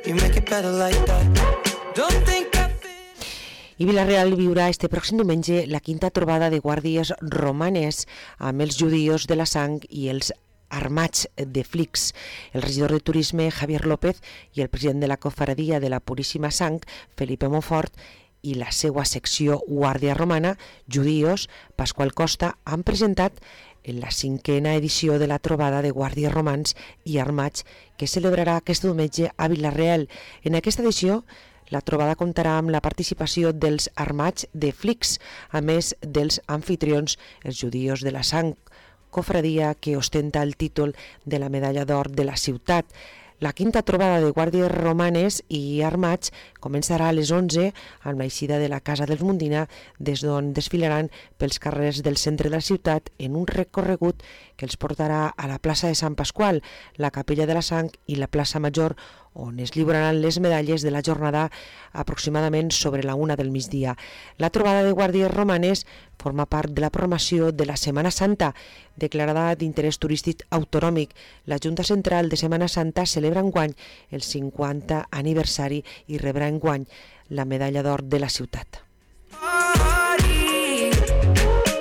You make it better like that. Don't think I feel. I Vila-real viurà este pròxim diumenge la quinta trobada de guàrdies romanes amb els judíos de la sang i els armats de Flix. El regidor de Turisme, Javier López, i el president de la Cofradia de la Puríssima Sang, Felipe Monfort, i la seva secció Guàrdia Romana, Judíos, Pasqual Costa, han presentat en la 5a edició de la trobada de guàrdies romans i armats que celebrarà aquest diumenge a Vila-real. En aquesta edició, la trobada comptarà amb la participació dels armats de Flix, a més dels amfitrions, els Judíos de la Sang, cofradia que ostenta el títol de la medalla d'or de la ciutat. La quinta trobada de guàrdies romanes i armats començarà a les 11 amb l'eixida de la Casa dels Mundina, des d'on desfilaran pels carrers del centre de la ciutat en un recorregut que els portarà a la plaça de Sant Pasqual, la Capella de la Sang i la plaça Major, on es lliuraran les medalles de la jornada aproximadament sobre la 1 del migdia. La trobada de guàrdies romanes forma part de la programació de la Setmana Santa, declarada d'interès turístic autonòmic. La Junta Central de Setmana Santa celebra enguany el 50 aniversari i rebrà enguany la medalla d'or de la ciutat.